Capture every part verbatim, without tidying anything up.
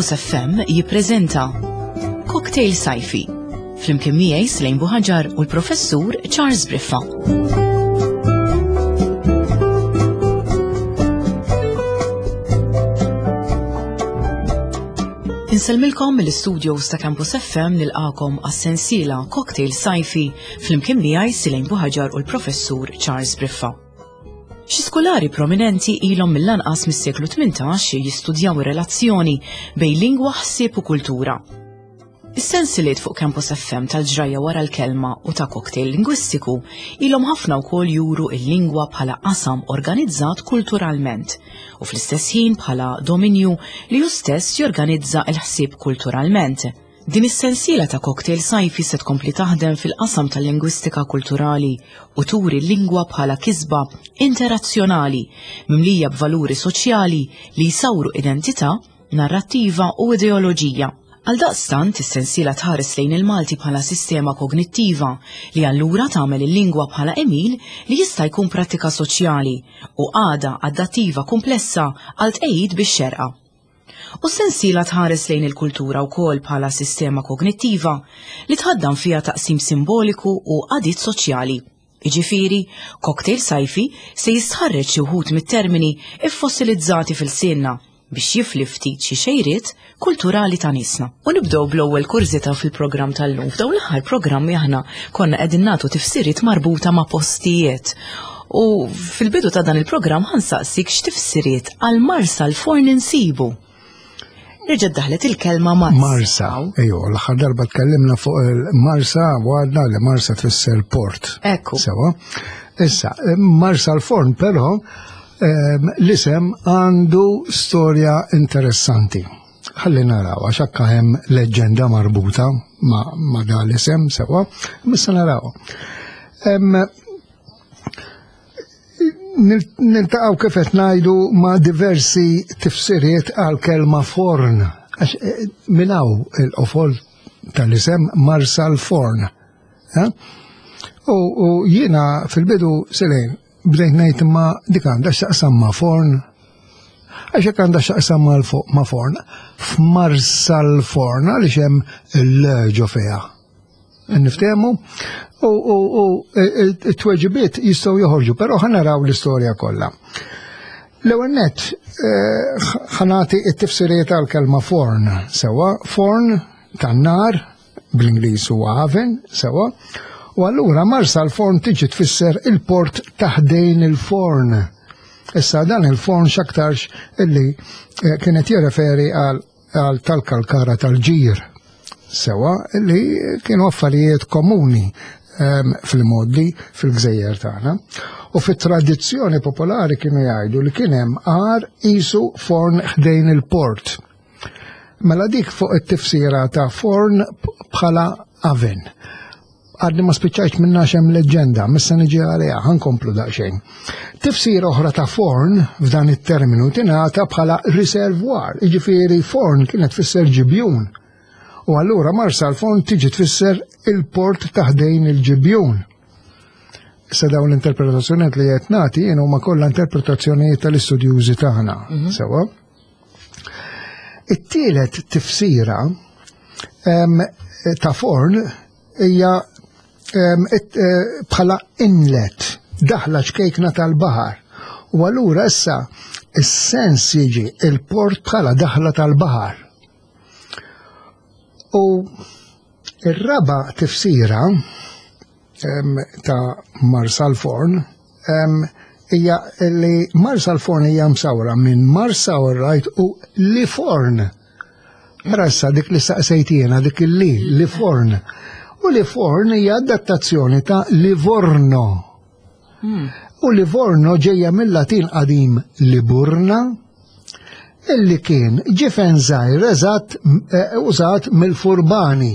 Campus F M jippreżenta Cocktail Sajfi flimkien miegħi Slejn Buħaġar u l-Professur Charles Briffa. Insellmilkom mill-studios ta' Campus F M, nilqakom għas-sensiela Cocktail Sajfi flimkien miegħi Silejn Buħaġar u l-Professur Charles Briffa. Xi skolari prominenti ilhom mill-anqas mis-seklu tmintax jistudjaw ir-relazzjoni bejn lingwa, ħsieb u kultura. Is-sensiliet fuq Campus F M tal-ġrajja wara l-kelma u ta' cocktail lingwistiku ilhom ħafna wkoll juru il-lingwa bħala qasam organizzat kulturalment u fl-istess ħin bħala dominju li hu stess jorganizza l-ħsieb kulturalment. Din is-sensiela ta' cocktail sajfi se tkompli taħdem fil-qasam tal-lingwistika kulturali u turi l-lingwa bħala kisba interazzjonali mimlija b'valuri soċjali li jsawru identità, narrattiva u ideoloġija. Għal daqstant, is-sensiela tħares lejn il-Malti bħala sistema kognittiva li allura tagħmel il-lingwa bħala għemil li jista' jkun prattika soċjali u għada adattiva komplessa għal tqejjid bix-xerqa. U sensiela tħares lejn il-kultura wkoll bħala sistema kognittiva li tħaddan fiha taqsim simboliku u għadiet soċjali. Iġifieri, cocktail sajfi se jistħarreġ xi wħud mit-termini iffossilizzati f'ilsienna biex jifli ftit xi xejriet kulturali ta' niesna. U nibdew bl-ewwel kurżità fil-programm tal-lum. F'dawn l-aħħar programmi aħna konna qegħdin nagħtu tifsiriet marbuta ma' postijiet. U fil-bidu ta' dan il-programm ħa nsaqsik x'tifsiriet għal Marsa l-Forn insibu. Reġgħet daħlet il-kelma Marsa. Marsa, ejo, l-aħħar darba tkellimna fuq il-Marsa, għadna li Marsa tfisser port. Ekku. Sewa. Issa, Marsa l-Forn, però, ehm, l-isem għandu storja interessanti. Ħalli naraw, għax akka hemm leġġenda marbuta ma, ma da l-isem, sewa, missa naraw. Em, Niltaqgħu, kif qed ngħidu, ma' diversi tifsiriet għal kelma forn. Għax eh, minn hawn il-qofol tal-isem Marsa l-Forn. Eh? U, u jiena fil-bidu, Selejn, bdejt ngħid ma dik għandha x'taqsam ma' forn. Għax hekk għandha x'taqsam ma' ma' forn. F'Marsa l-Forn għaliex hemm il-ġo fiha. Niftehmu? U, u, u it-tweġibiet jistgħu joħorġu, però ħa naraw l-istorja kollha. L-ewwel nett eh, ħa nagħti it-tifsiriet għal-kelma forn, sewa, forn tan-nar, bl-Ingliż huwa oven, sewa, u allura Marsa l-Forn tiġi tfisser il-port ta' ħdejn il-forn. Issa dan il-forn x'aktarx illi eh, kienet jirreferi għal għal tal-kalkara tal-ġir. Sewa, li kienu affarijiet komuni um, fil-moddi fil-gżejjer tagħna. U fit-tradizzjoni popolari kienu jgħidu li kien hemm għar qisu forn ħdejn il-port. Mela dik fuq it-tifsira ta' forn bħala oven. Għadni ma spiċċajt minna hemm leġġenda, missa niġi għaliha, ħa nkomplu daqsxejn. Tifsira oħra ta' forn f'dan it-terminu tingħata bħala reservoir, jiġifieri forn kienet tfisser ġibjun. U allura Marsa l-Forn tiġi tfisser il-port ta' ħdejn il-ġibjun. Issa dawn l-interpretazzjonijiet li qed nagħti jien huma kollha interpretazzjonijiet tal-istudjużi tagħna. Mhm. Sewa. It-tielet tifsira ta' forn hija eh, bħala inlet, daħla ċkejkna tal-baħar. U allura issa is-sens jiġi il-port bħala daħla tal-baħar. U ir-raba tifsira ta' Marsa l-Forn hija li Marsa l-Forn hija msawra minn Marsa right u li forn. Rassa dik li saqsejtina, dik il-li, li forn. U li forn hija adattazzjoni ta' Livorno. Hmm. U Livorno ġejja mill-Latin qadim Liburna, illi kien ġifen żgħir eżatt eh, użat mill-furbani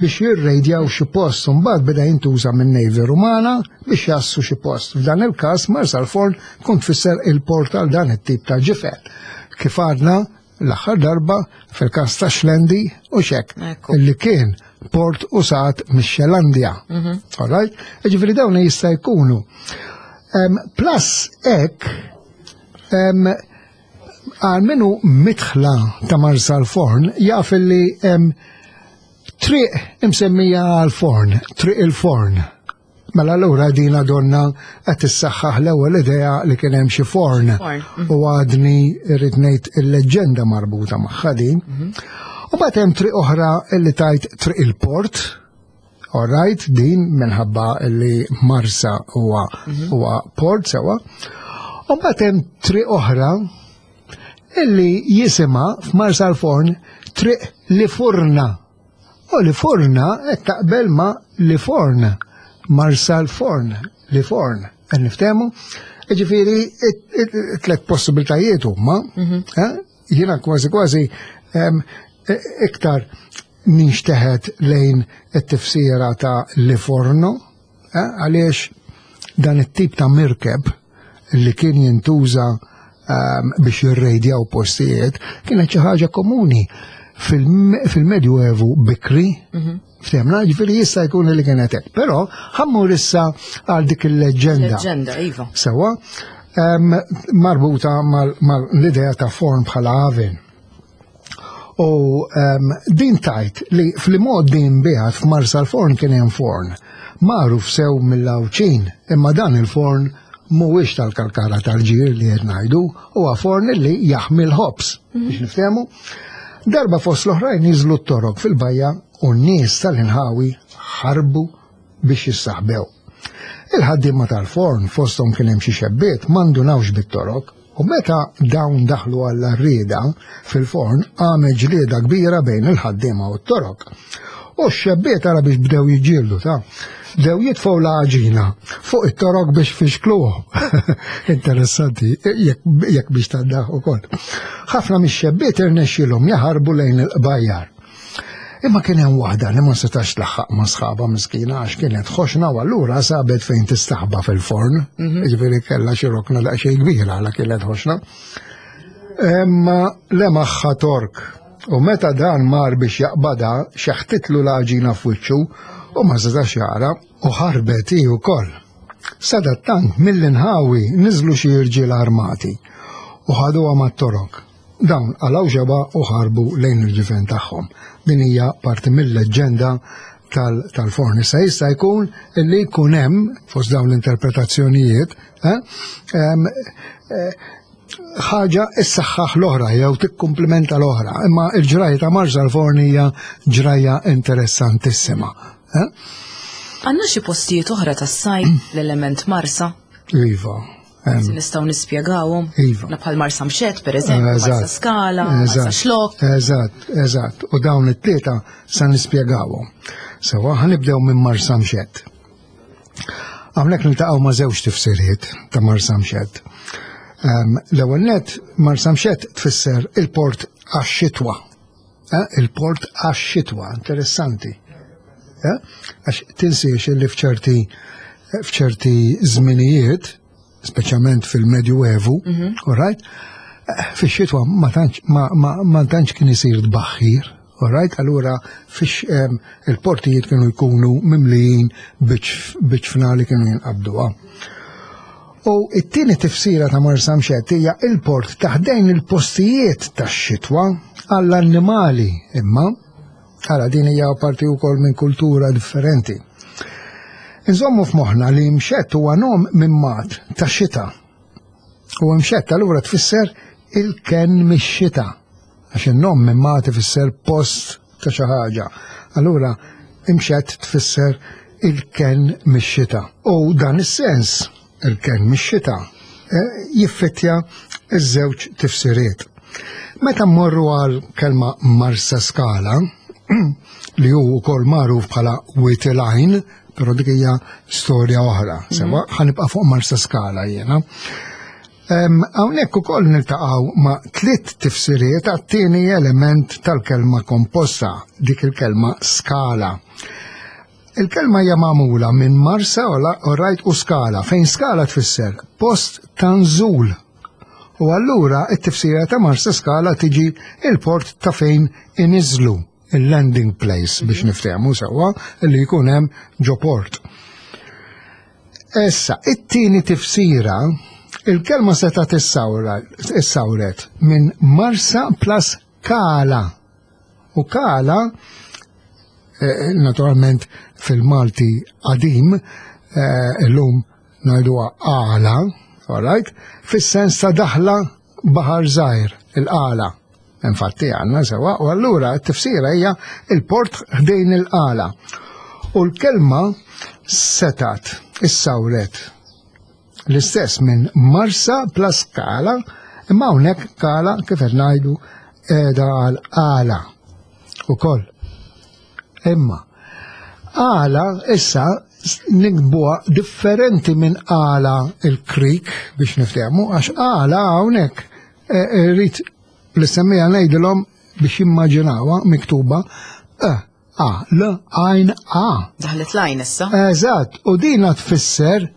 biex jirrejdjaw xi post, mbagħad beda jintuża minn Navy Rumana biex jassu xi post. F'dan il-każ Marsa l-Forn kont tfisser il-port għal dan it-tip ta' ġifen. Kif għadna l-aħħar darba fil-każ ta' Xlendi u xek, illi kien port użat mix-Xelandja. Mhm. All right? Ġifieri dawn jista' jkunu. Plus hekk Għal min hu midħla ta' Marsalforn jaf li hemm triq imsemmija għal-forn, Triq il-Forn. Mela allura dina donna qed tissaħħaħ l-ewwel idea li kien hemm xi forn. Forn, U għadni irrid ngħid il-leġġenda marbuta magħha din. U mbagħad hemm triq oħra li tgħid Triq il-Port. All right, din minħabba li Marsa huwa huwa port sewa. U mbagħad hemm triq oħra illi jisimha f'Marsalforn Triq Li Furna. U Li Furna qed taqbel ma Li Forn. Marsalforn, Li Forn. Qed niftehmu? Ġifieri tliet possibiltajiet huma. eh? Jiena kważi kważi em, e- iktar ninxteħet lejn it-tifsira ta' Liforno, eh, għaliex dan it-tip ta' mirkeb li kien jintuża um, biex jirrejdjaw postijiet kienet xi ħaġa komuni fil- fil-Medjuevu bikri. Ftehmna, ġifieri jista' jkun li kienet hekk. Però ħa mmur issa għal dik il-leġġenda. Leġġenda, iva. Sewa, em, marbuta mal-idea ta' forn bħala oven. U um, din tgħid li fl-mod din biħat f'Marsalforn kien hemm forn. Magħruf sew mill-Għawdxin, imma dan il-forn mhuwiex tal-kalkara tal-ġir li qed ngħidu, huwa forn li jaħmi l-ħobż. Biex niftehmu. Darba fost l-oħrajn niżlu t-torok fil-bajja u n-nies tal-inħawi ħarbu biex jissaħbew. Il-ħaddiema tal-forn, fosthom kien hemm xi xebbiet, ma ndunawx bit-torok u meta dawn daħlu għall-għarrieda fil-forn għamel ġlieda kbira bejn il-ħaddiema u t-torok. U x-xebbiet ara biex bdew jiġġieldu ta' bdew jitfgħu l-għaġina fuq it-torok biex fixkluhom. Interessanti, jekk biex taddaħ ukoll. Ħafna mix-xebbiet irnexxielhom jaħarbu lejn il-qbajjar. Imma kien hemm waħda li ma setax tlaħħaq ma' sħaba miskina għax kienet ħoxna u allura sabet fejn tistaħba fil-forn. Jiġifieri kellha xi rokna daqsxejn kbira għala kienet ħoxna. Imma lemaħha Tork. U meta dan mar biex jaqbada, xeħtitlu l-għaġina f'wiċċu u ma setax jara u ħarbet hi wkoll. Sadattant mill-inħawi niżlu xi irġiel armati u ħaduha mat-torok. Dawn qalgħu xebgħa u ħarbu lejn il-ġifen tagħhom. Din hija parti mill-leġġenda tal-forn. Issa jista' jkun li jkun hemm fost dawn l-interpretazzjonijiet eh, em, eh, ħaġa issaħħaħ l-oħra jew tikkumplimenta l-oħra. Imma il-ġrajja ta' Marsalforn hija ġrajja interessantissima. eh? Għandna xi postijiet oħra tas-sajf l-element Marsa? Iva. em, Si nistgħu nispjegawhom. Iva. Na bħal Marsamxett, per eżempju, Eżatt. Marsaskala, Marsa Eżatt, Xlokk. Eżatt, eżatt. U dawn it-tlieta sa nispjegawhom. Sewa ħa nibdew minn Marsamxett. Hawnhekk niltaqgħu ma' żewġ tifsiriet ta' Marsamxett. Um, L-ewwel net Marsamxett tfisser il-port għax-xitwa. Eh, Il-port għax-xitwa, interessanti. Eh, Għax tinsiex li f'ċerti f'ċerti żminijiet, speċjalment fil-Medjuevu, all right, eh, fix-xitwa ma tantx ma, ma, ma tantx kien isir tbaħħir, all right, allura fix em, il-portijiet kienu jkunu mimlijin biċ-ċfna li kienu jinqabduha. U it-tieni tifsira ta' Marsamxett hija il-port ta' ħdejn il-postijiet tax-xitwa għall-annimali, imma ara din hija parti wkoll minn kultura differenti. Inżommu f'moħħna li mxett huwa nom minn mat ta' xita. U mxett allura tfisser il-ken mix-xita. Għax in-nom minn mat ifisser post ta' xi ħaġa. Allura imxett tfisser il-ken mix-xita. U dan is-sens, il-ken mix-xita, eh, jiffittja iż-żewġ tifsiriet. Meta mmorru għal kelma Marsaskala, li hu wkoll magħruf bħala Wied il-Għajn, però dik hija storja oħra. Sewa ħa nibqa' fuq Marsaskala jiena. Em, Hawnhekk ukoll niltaqgħu ma' tliet tifsiriet għat-tieni element tal-kelma komposta, dik il-kelma skala. Il-kelma hija magħmula minn Marsa u rajt u skala, fejn skala tfisser post ta' nżul. U allura it-tifsira ta' Marsaskala tiġi il-port ta' fejn iniżlu, il-landing place biex niftehmu sewwa li jkun hemm ġo port. Issa, it-tieni tifsira Il-kelma seta' issawret minn Marsa plus Kala. U Kala, naturalment fil-Malti qadim, illum ngħiduha għala, all right, fis-sens ta' daħla baħar żgħir, il-qala. Infatti għandna sewa, u allura t-tifsira hija il-port ħdejn il-qala. U l-kelma setat issawret l-istess minn Marsa plus Kala, imma hawnhekk Kala kif qed ngħidu qiegħda għal qala ukoll. Imma qala issa nikbuha differenti minn qala il-krik biex niftehmu, għax qala hawnhekk rrid l-semmija ngħidilhom biex jimmaġinawha miktuba e a l għajn a. Daħlet l-għajn issa. Eżatt, u dina tfisser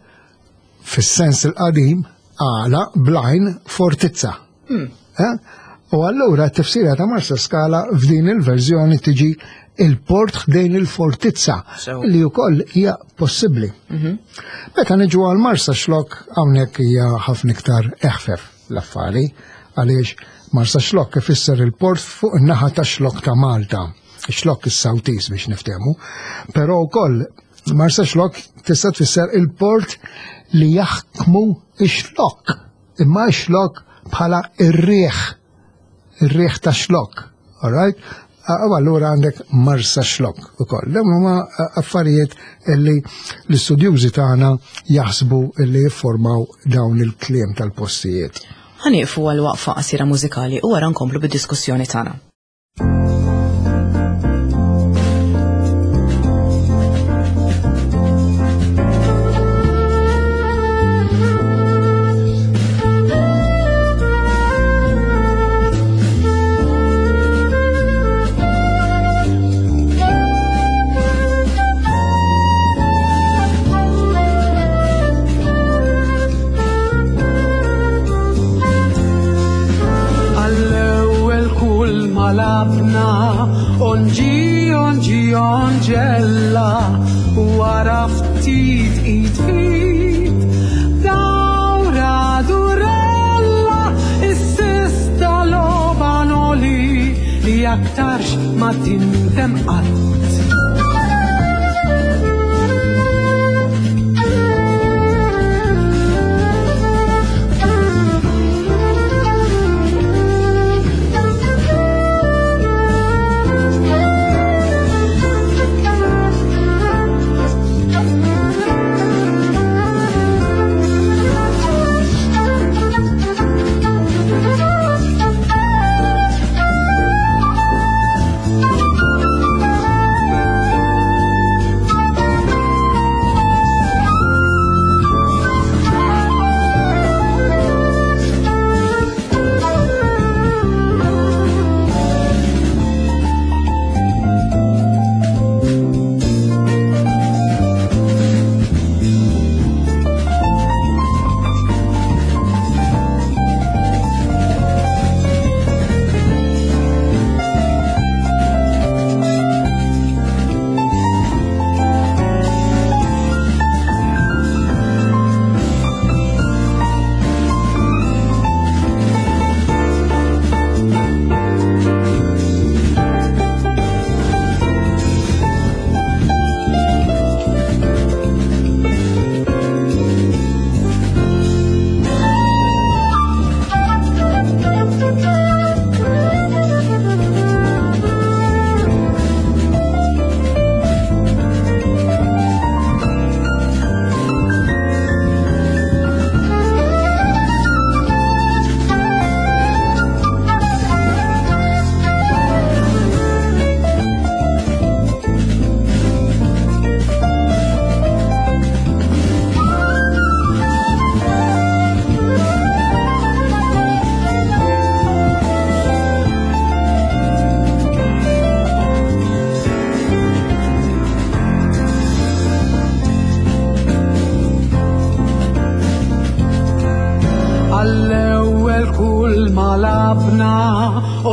fis-sens il-qadim għala blajn fortizza. U allura t-tifsira ta' Marsa Skala f'din il-verżjoni tiġi il-port ħdejn il-fortizza, li wkoll hija possibbli. Meta niġu għal Marsa Xlokk hawnhekk hija ħafna iktar eħfef l-affari, għaliex Marsa Xlokk ifisser il-port fuq in-naħa ta' Xlokk ta' Malta, Xlokk is-Sawtis biex niftehmu, però wkoll Marsa Xlokk tista' tfisser il-port li jaħkmu ix-xlokk, imma x-xlokk bħala ir-riħ, ir-riħ ta' xlokk, all right? U allura għandek Marsa Xlokk ukoll. Dawn huma affarijiet illi l-istudjużi tagħna jaħsbu illi jiffurmaw dawn il-kliem tal-postijiet. Ħanieqfu għal waqfa qasira mużikali u wara nkomplu bid-diskussjoni tagħna. Onġi, onġi, onġella, wara ftit id fit, dawra durella, is-sista logħba noli li aktarx ma tindem qatt.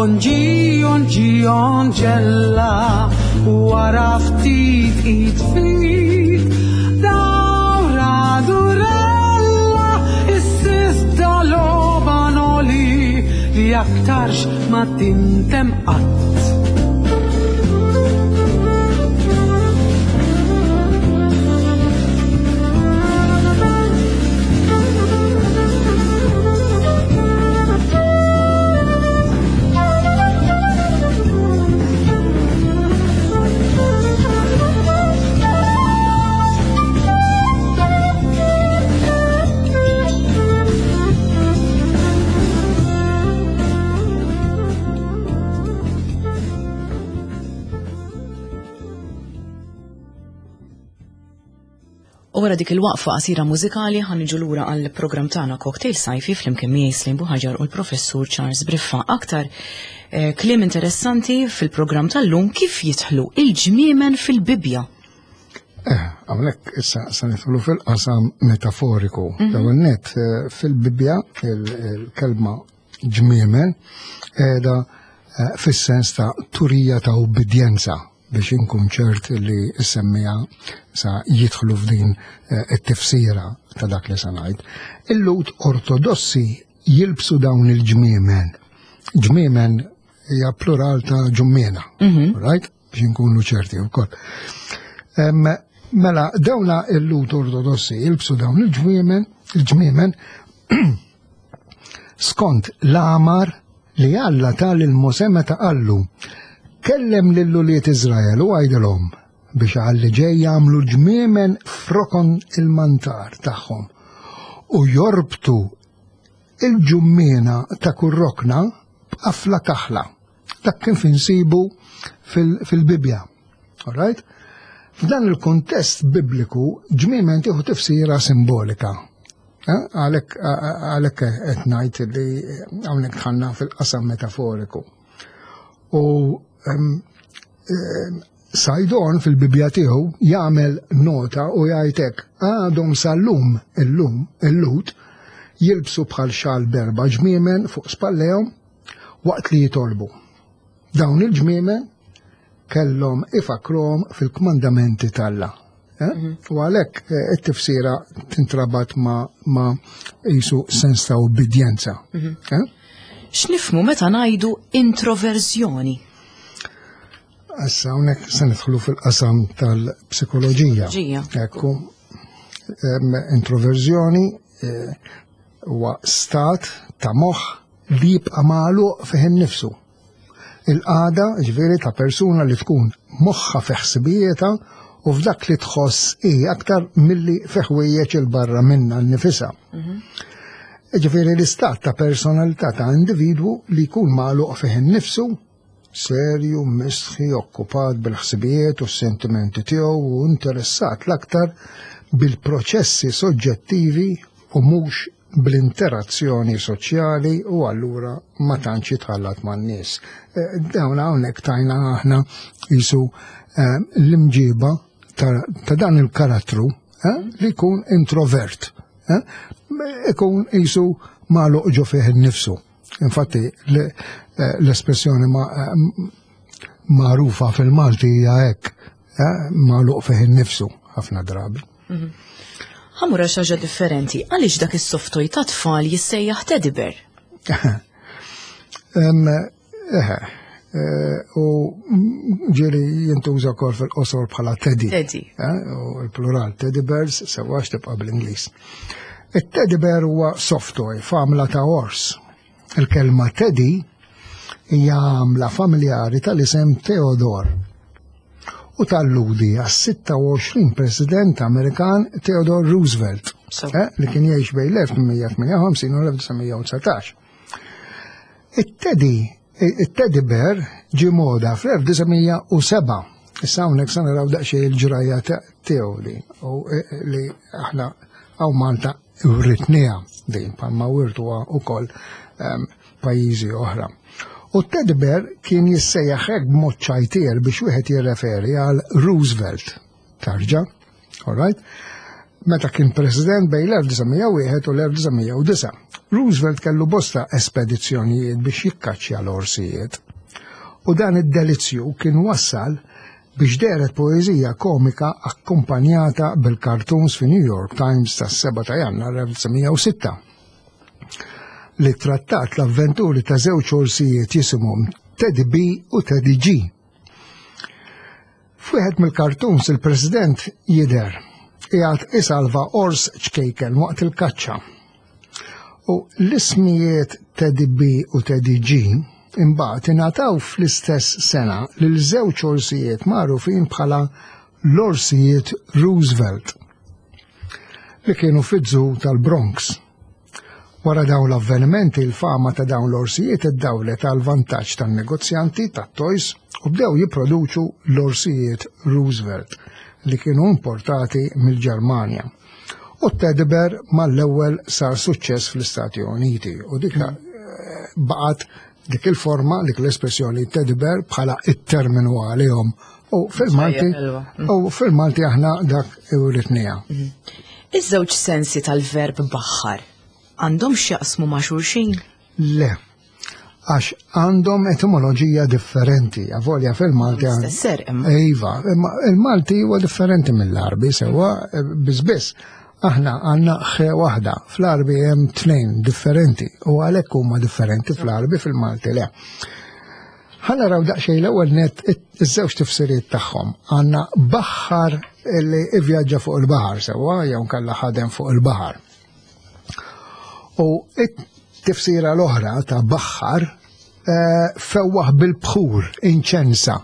Onġi, onġi, onġella, wara ftit id fit, dawra durella, is-sista x'aktarx ma tindem qatt. U wara dik il-waqfa qasira mużikali ħa niġu lura għall programm tagħna Cocktail Sajfi flimkien miegħi Slim Buħaġar u l-Professur Charles Briffa. Aktar eh, kliem interessanti fil-programm tal-lum kif jidħlu il-ġmiemen fil-Bibbja. Eh, hawnhekk issa se nidħlu fil-qasam metaforiku. L-ewwel nett eh, fil-Bibbja il-kelma ġmiemen qiegħda eh, fis-sens ta' turija ta' ubbidjenza biex inkun ċert li s-semmija sa jidħlu f'din eh, it-tifsira ta' dak li sa ngħid. Il-Lhud ortodossi jilbsu dawn il-ġmiemen. Ġmiemen hija plural ta' ġummiena, right? Biex inkunu ċerti wkoll. Em, Mela, dawna il-Lhud ortodossi jilbsu dawn il-ġmiemen, il-ġmiemen skont l-amar li Alla ta lil Mosè meta qallu kellem lil ulied Iżrael u għajdilhom biex għalli ġej jagħmlu ġmiemen f'rokon il-mantar tagħhom u jorbtu il-ġummiena ta' kull rokna b'qafla kaħla. Dak kien insibu fil-Bibbja. All right? F'dan il-kontest bibliku ġmiemen tieħu tifsira simbolika. Eh, Għalhekk għalhekk qed ngħid li hawnhekk dħalna fil-qasam metaforiku. U em, em, Saydon fil-Bibbja tiegħu jagħmel nota u jgħid hekk għadhom sal-lum illum il-Lhud jilbsu bħal xal b'erba' ġmiemen fuq spallejhom waqt li jitolbu. Dawn il-ġmiemen kellhom ifakruhom fil-kmandamenti t'Alla. Eh? U għalhekk eh, it-tifsira tintrabat ma, ma jisu sens ta' ubbidjenza. Eh? X'nifhmu meta ngħidu introverżjoni? Issa hawnhekk se nidħlu fil-qasam tal-psikoloġija. Psikoloġija. Ekku, em, introverżjoni eh, huwa stat ta' moħħ li jibqa' magħluq fih innifsu. Il-qagħda ġifieri ta' persuna li tkun moħħa fi ħsibijietha u f'dak li tħoss hi aktar milli fi ħwejjeġ 'il barra minna nnifisha. Ġifieri l-istat ta' personalità ta' individwu li jkun magħluq fih innifsu, serju, mistħi, okkupat bil-ħsibijiet u s-sentimenti tiegħu u interessat l-aktar bil-proċessi soġġettivi u mhux bl-interazzjoni soċjali u allura ma tantx jitħallat man-nies. Eh, Dawn hawnhekk tajna aħna jisu eh, l-imġiba ta' ta' dan il-karattru eh, li jkun introvert. eh, Ikun jisu magħluq ġo fih innifsu. Infatti l- eh, l-espressjoni ma- eh, magħrufa fil-Malti hija hekk, eh, magħluq fih innifsu ħafna drabi. Ħa mmur xi ħaġa differenti, għaliex dak is-soft toy ta' tfal jissejjaħ teddy bear? Em, Eħe, eh, u ġieli jintuża wkoll fil-qosor bħala teddy. Teddy. Eh, U l-plural teddy bears sewwa tibqa' bl-Ingliż. Il-teddy bear huwa soft toy f'għamla ta' ors. Il-kelma teddy hija għamla familjari tal-isem Theodore u talludi għas-sitta u għoxrin President Amerikan Theodore Roosevelt, So. eh, li kien jgħix bejn l-elf tmien mija tmienja u ħamsin u l-elf disa' mija u dsatax. It-teddy, it-teddy bear ġi moda fl-elf disa' mija u sebgħa. Issa hawnhekk se naraw daqsxejn il-ġrajja tiegħu li u eh, li aħna hawn Malta writnieha din bħalma wirtuha wkoll em, pajjiżi oħra. U teddy bear kien jissejjaħ hekk b'mod ċajtier biex wieħed jirreferi għal Roosevelt. Tarġa, all right? Meta kien president bejn l-elf disa' mija u wieħed u l-elf disa' mija u disgħa. Roosevelt kellu bosta espedizzjonijiet biex jikkaċċja l-orsijiet. U dan id-delizzju kien wassal biex dehret poeżija komika akkumpanjata bil-cartoons fi New York Times tas-sebgħa ta' Jannar elf disa' mija u sitta. li trattat l-avventuri ta' żewġ orsijiet jisimhom Teddy B u Teddy G. F'wieħed mill-cartoons il-President jidher qiegħed isalva ors ċkejken waqt il-kaċċa. U l-ismijiet Teddy B u Teddy G imbagħad ingħataw fl-istess sena lil żewġ orsijiet magħrufin bħala l-orsijiet Roosevelt li kienu fiż-zoo tal-Bronx. Wara dawn l-avvenimenti, il-fama ta' dawn l-orsijiet iddawlet għal vantaġġ tan-negozjanti tat-toys u bdew jipproduċu l-orsijiet Roosevelt li kienu importati mill-Ġermanja. U t-teddy bear mal-ewwel sar suċċess fl-Istati Uniti u dik eh, baqgħet dik il-forma, dik l-espressjoni teddy bear bħala it-terminu għalihom. U fil-Malti, Ħelwa. u fil-Malti aħna dak iwritnieha. Iż-żewġ sensi tal-verb baħħar għandhom x'jaqsmu ma' xulxin? Le, għax għandhom etimoloġija differenti, avolja fil-Malti. għand- L-istess ser imma. Iva, imma il-Malti huwa differenti mill-Arbi, sewa biss. Aħna għandna ħe waħda, fl-Arbi hemm tnejn differenti u għalhekk huma differenti fl-Arbi, fil-Malti le. Ħa naraw daqsxejn l-ewwel net iż-żewġ tifsiriet tagħhom. Għandna baħħar li ivvjaġġa fuq il-baħar sewwa jew kalla ħadem fuq il-baħar. U it-tifsira l-oħra ta' baħħar eh, fewwaħ bil-bħur, inċensa,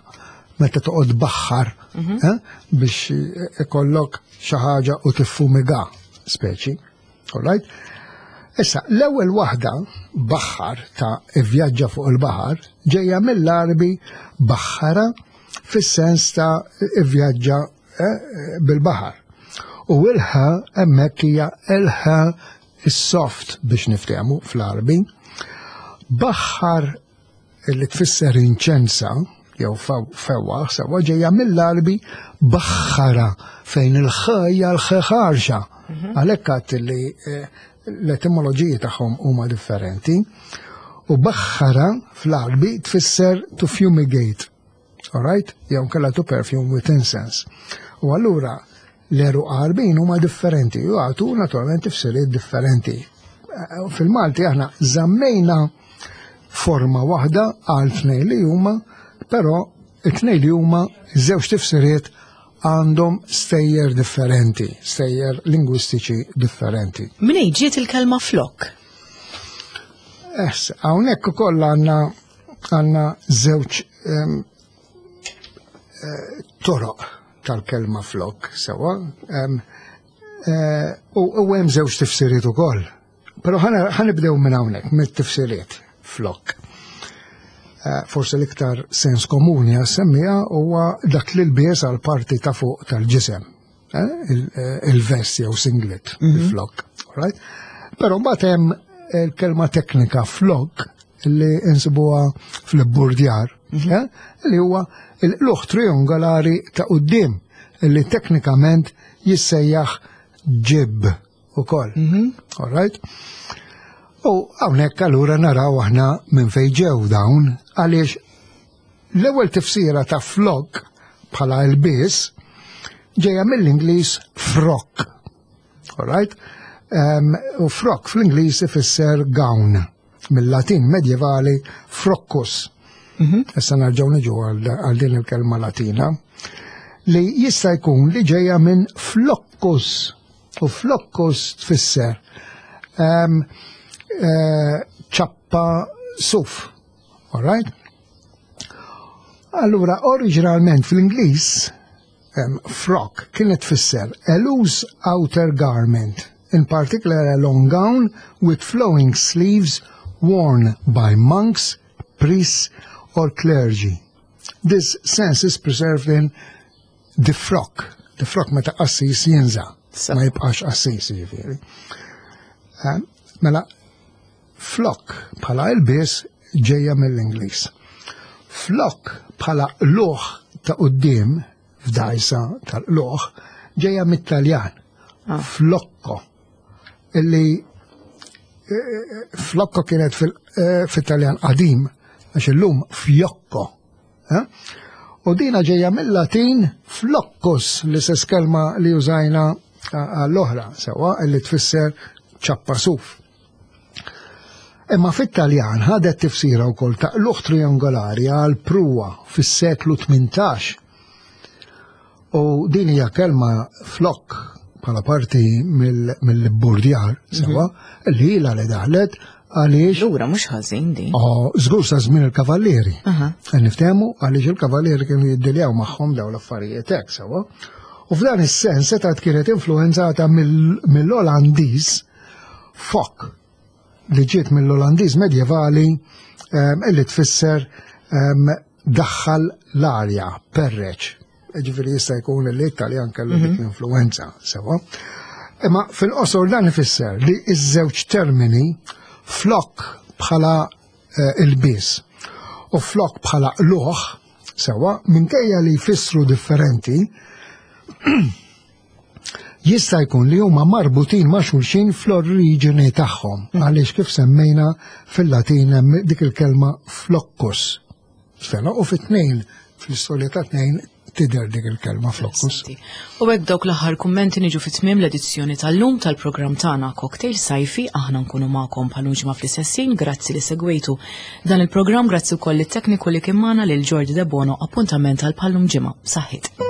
meta toqgħod baħħar eh, biex ikollok xi ħaġa u tiffumiga speċi. All right? Issa, l-ewwel waħda baħħar ta' ivvjaġġa fuq il-baħar ġejja mill-Arbi baħħara fis-sens ta' ivvjaġġa eh, bil-baħar. U il-ħa hemmhekk hija il-ħa is-soft biex niftehmu fl-Arbi. Baħħar li tfisser inċensa jew fewwaħ sewwa ġejja mill-Arbi baħħara fejn il-ħajja l-ħarxa. Għalhekk għadt li eh, l-etimoloġiji tagħhom huma differenti. U baħħara fl-Arbi tfisser to fumigate. Alright? Jew kella to perfume with incense. U allura l-għeruq Għarbin huma differenti u għatu naturalment tifsiriet differenti. Eh, Fil-Malti aħna żammejna forma waħda għal tnejn li huma, però it-tnejn li huma żewġ tifsiriet għandhom stejjer differenti, stejjer lingwistiċi differenti. Minn ġiet il-kelma flok? Es, hawnhekk ukoll għandna għandna żewġ em, eh, toroq tal-kelma flok, sewa, em, eh, u u hemm żewġ tifsiriet ukoll. Però ħa nibdew minn hawnhekk, mit-tifsiriet flok. Eh, Forse l-iktar sens komuni għas-semmija huwa dak li lbies għal parti ta' fuq tal-ġisem. eh, il- eh, Il-vest jew singlet, il-flok. Alright? Però mbagħad hemm il-kelma teknika flok li insibuha fl-burdjar, eh, li huwa il-luħ triangolari ta' quddiem li teknikament jissejjaħ jib ukoll. All right? U hawnhekk allura naraw aħna minn fejn ġew dawn għaliex l-ewwel tifsira ta' flok bħala ilbies ġejja mill-Ingliż frock. All right? Um, u frock fl-Ingliż ifisser gown, mill-Latin medjevali froccus. Issa nerġgħu niġu għal għal din il-kelma Latina li jista' jkun li ġejja minn floccus u floccus tfisser um, eh, ċappa suf. All right? Allura, oriġinalment fl-Ingliż, um, frock kienet tfisser a loose outer garment, in particular a long gown with flowing sleeves worn by monks, priests or clergy. This sense is preserved in the frock. The frock meta qassis jinża', ma jibqax qassis jiġifieri. Eh, Mela, flok bħala ilbies ġejja mill-Ingliż. Flok bħala luħ ta' quddiem f'dajsa tal-luħ ġejja mit-Taljan. Flocco. Illi eh, flocco kienet fil- eh, fit-Taljan qadim, għax illum fjokko. eh? U dina ġejja mill-Latin floccus, l-istess kelma li użajna għall-oħra, sewa, illi tfisser ċappa suf. Imma fit-Taljan ħadet tifsira wkoll ta' qlugħ triangolari għal pruwa fis-seklu tmintax. U din hija kelma flok bħala parti mill-burdjar, sewa, li ilha li daħlet għaliex. Lura mhux ħażin din. Oh, żgur sa żmien il-kavallieri. Niftehmu għaliex il-kavallieri kienu jiddiljaw magħhom dawn l-affarijiet hekk sewa. U f'dan is-sens setgħet kienet influenzata mill-Olandiż fok, li ġiet mill-Olandiż medjevali, illi tfisser daħħal l-arja, perreċ. Ġifieri jista' jkun li l-Italjan kellu dik l-influenza, sewa. Imma fil-qosor dan ifisser li iż-żewġ termini, flok bħala ilbies u flok bħala qlugħ, sewa, minkejja li jfissru differenti, jista' jkun li huma marbutin ma' xulxin fl-oriġini tagħhom, għaliex kif semmejna fil-Latin hemm dik il-kelma flockus. Sena u fit-tnejn, fl-istorja ta' tnejn tidher dik il-kelma flockus. U hekk dawk l-aħħar kummenti niġu fi tmiem l-edizzjoni tal-lum tal-programm tagħna Cocktail Sajfi. Aħna nkunu magħkom bħal ġimgħa fl-istess ħin. Grazzi li segwejtu dan il-programm, grazzi wkoll lit-tekniku li kien magħna, lil Jordi De Bono. Appuntament għal bħal-lum ġimgħa. Saħħit.